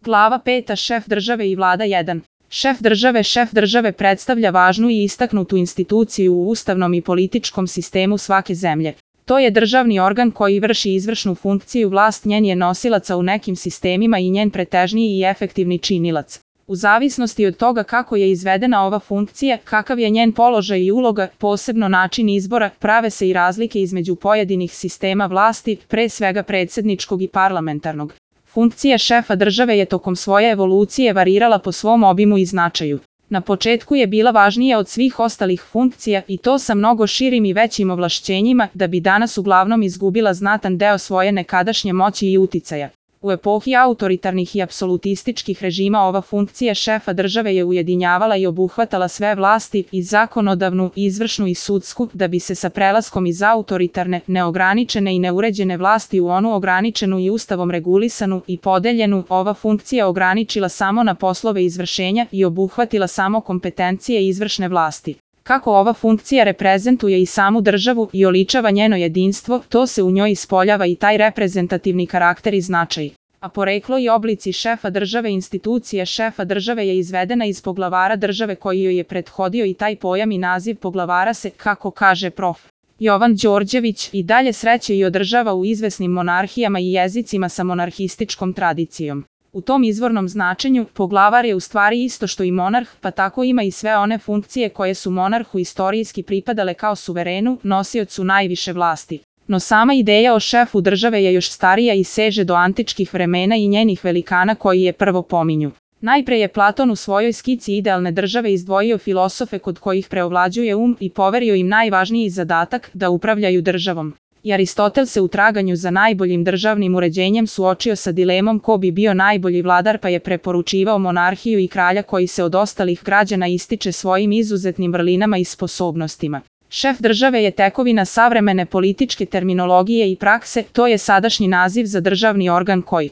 Glava 5. Šef države i vlada 1. Šef države predstavlja važnu i istaknutu instituciju u ustavnom i političkom sistemu svake zemlje. To je državni organ koji vrši izvršnu funkciju, vlast njen je nosilaca u nekim sistemima i njen pretežniji i efektivni činilac. U zavisnosti od toga kako je izvedena ova funkcija, kakav je njen položaj i uloga, posebno način izbora, prave se i razlike između pojedinih sistema vlasti, pre svega predsjedničkog i parlamentarnog. Funkcija šefa države je tokom svoje evolucije varirala po svom obimu i značaju. Na početku je bila važnija od svih ostalih funkcija i to sa mnogo širim i većim ovlašćenjima, da bi danas uglavnom izgubila znatan deo svoje nekadašnje moći i uticaja. U epohi autoritarnih i apsolutističkih režima ova funkcija šefa države je ujedinjavala i obuhvatala sve vlasti, i zakonodavnu, izvršnu i sudsku, da bi se sa prelaskom iz autoritarne, neograničene i neuređene vlasti u onu ograničenu i ustavom regulisanu i podeljenu, ova funkcija ograničila samo na poslove izvršenja i obuhvatila samo kompetencije izvršne vlasti. Kako ova funkcija reprezentuje i samu državu i oličava njeno jedinstvo, to se u njoj ispoljava i taj reprezentativni karakter i značaj. A poreklo i oblici šefa države. Institucija šefa države je izvedena iz poglavara države koji joj je prethodio i taj pojam i naziv poglavara se, kako kaže prof. Jovan Đorđević, i dalje sreće i održava u izvesnim monarhijama i jezicima sa monarhističkom tradicijom. U tom izvornom značenju, poglavar je u stvari isto što i monarh, pa tako ima i sve one funkcije koje su monarhu istorijski pripadale kao suverenu, nosiocu najviše vlasti. No sama ideja o šefu države je još starija i seže do antičkih vremena i njenih velikana koji je prvo pominju. Najpre je Platon u svojoj skici idealne države izdvojio filosofe kod kojih preovlađuje i poverio im najvažniji zadatak, da upravljaju državom. I Aristotel se u traganju za najboljim državnim uređenjem suočio sa dilemom ko bi bio najbolji vladar, pa je preporučivao monarhiju i kralja koji se od ostalih građana ističe svojim izuzetnim vrlinama i sposobnostima. Šef države je tekovina savremene političke terminologije i prakse, to je sadašnji naziv za državni organ koji